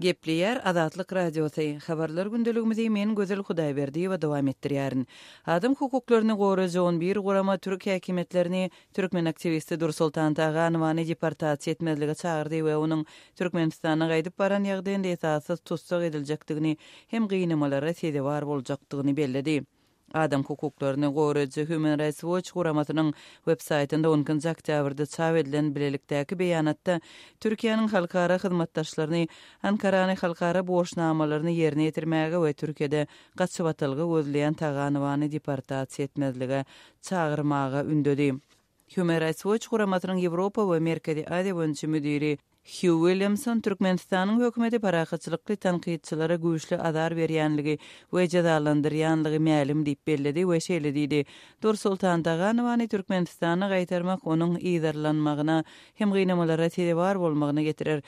Gepleýär Azatlyk Radiosy, Habarlar gündeligimizi men Gözel Hudaýberdiýewa dowam etdirýärin. Adam hukuklaryny goraýjy on bir gurama türk häkimiýetlerini türkmen aktiwisti Dursoltan Taganowany deportasiýa etmezlige çagyrdy we onuň Türkmenistana gaýdyp baran ýagdaýynda esassyz tussag ediljekdigini hem gynamalara sezewar boljakdygyny belledi. Adam hukuklaryny goraýjy Human Rights Watch guramasynyň websaýtynda on ikinji oktýabrda çap edilen bilelikdäki beýanatda Türkiýäniň halkara hyzmatdaşlaryny Ankarany halkara borçnamalaryny ýerine ýetirmäge we Türkiýede gaçybatalga gözleýän Taganowany deportasiýa etmezlige çagyrmaga ündedi. Human Rights Watch guramasynyň Ýewropa we Merkezi Aziýa boýunça müdiri Hýu Williamson Türkmenistanyň hökümeti parahatçylykly tankytçylara güýçli azar berýänligi we jezalandyrýanlygy mälim diýip belledi we şeýle diýdi, Dursoltan Taganowany Türkmenistana gaýtarmak onuň yzarlanmagyna hem gynamalara sezewar bolmagyna getirer.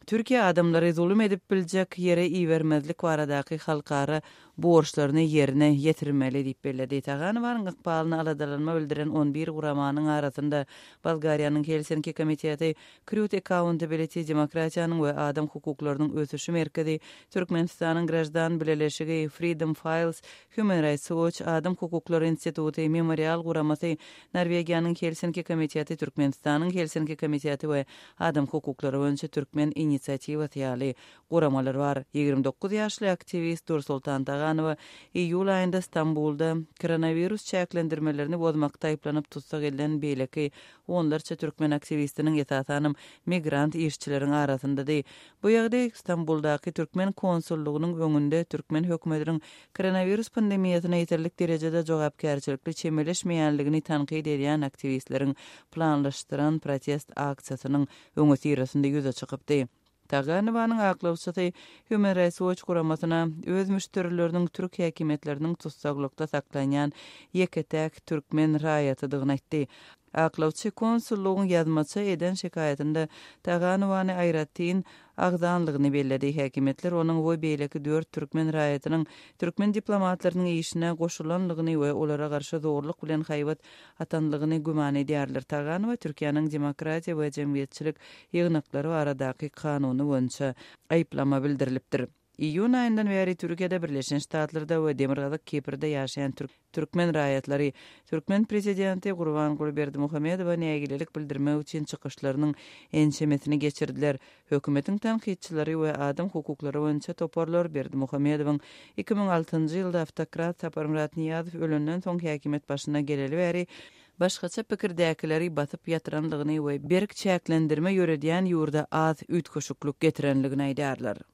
Türkiýe adamlary zulum edip biljek ýere ibermezlik baradaky halkara borçlaryny ýerine ýetirmeli diýip belledi. Taganowanyň ykbalyna aladalanma bildiren on bir guramanyň arasynda Bolgariýanyň Helsinki komiteti, Krut Accountability demokratiýanyň we adam hukuklarynyň ösüşi merkezi, Türkmenistanyň Graždan bileleşigi, Freedom Files, Human Rights Watch, Adam hukuklary instituty, Memorial guramasy, Norwegiýanyň Helsinki komiteti, Türkmenistanyň Helsinki komiteti we Adam hukuklary boýunça türkmen inisiatiwasy ýaly guramalar bar. 29 ýaşly aktiwist Dursoltan Taganowa iýul aýynda Stambulda koronawirus çäklendirmelerini bozmakda aýyplanyp tussag edilen beýleki onlarça türkmen aktiwistiniň, esasanam migrant işçileriň arasyndady. Bu ýagdaý Stambuldaky türkmen konsullygynyň öňünde türkmen hökümetiniň koronawirus pandemiýasyna ýeterlik derejede jogapkärçilikli çemeleşmeýänligini tankyt edýän aktiwistleriň planlaşdyran protest aksiýasynyň öňüsyrasynda ýüze çykypdy. Taganowanyň aklawçysy Human Rights Watch guramasyna öz müşderileriniň türk häkimiýetleriniň tussaglykda saklanýan ýeke-täk türkmen raýatydygyny aýtdy. Aklawçy konsullygyň ýazmaça eden şikaýatynda Taganowany aýratyn agzanlygyny belledi. Häkimiýetler onuň we beýleki dört türkmen raýatynyň türkmen diplomatlarynyň işine goşulanlygyny we olara garşy zorluk bilen haýbat atanlygyny güman edýärler. Taganowa Türkiýäniň demokratiýa we jemgyýetçilik ýygnaklary baradaky kanuny boýunça aýyplama bildirilipdir. Iýun aýyndan bäri Türkiýede, Birleşen Ştatlarda we Demirgazyk Kiprde ýaşaýan türkmen raýatlary türkmen prezidenti Gurbanguly Berdimuhamedowa nägilelik bildirmek üçin çykyşlarynyň ençemesini geçirdiler. Hökümetiň tankytçylary we adam hukuklary boýunça toparlar Berdimuhamedowyň 2006-njy ýylda awtokrat Saparmyrat Nyýazow ölenden soň häkimiýet başyna geleli bäri başgaça pikirdäkileri basyp ýatyranlygyny we berk çäklendirme ýöredýän ýurda az üýtgeşiklik getirenligini aýdýarlar.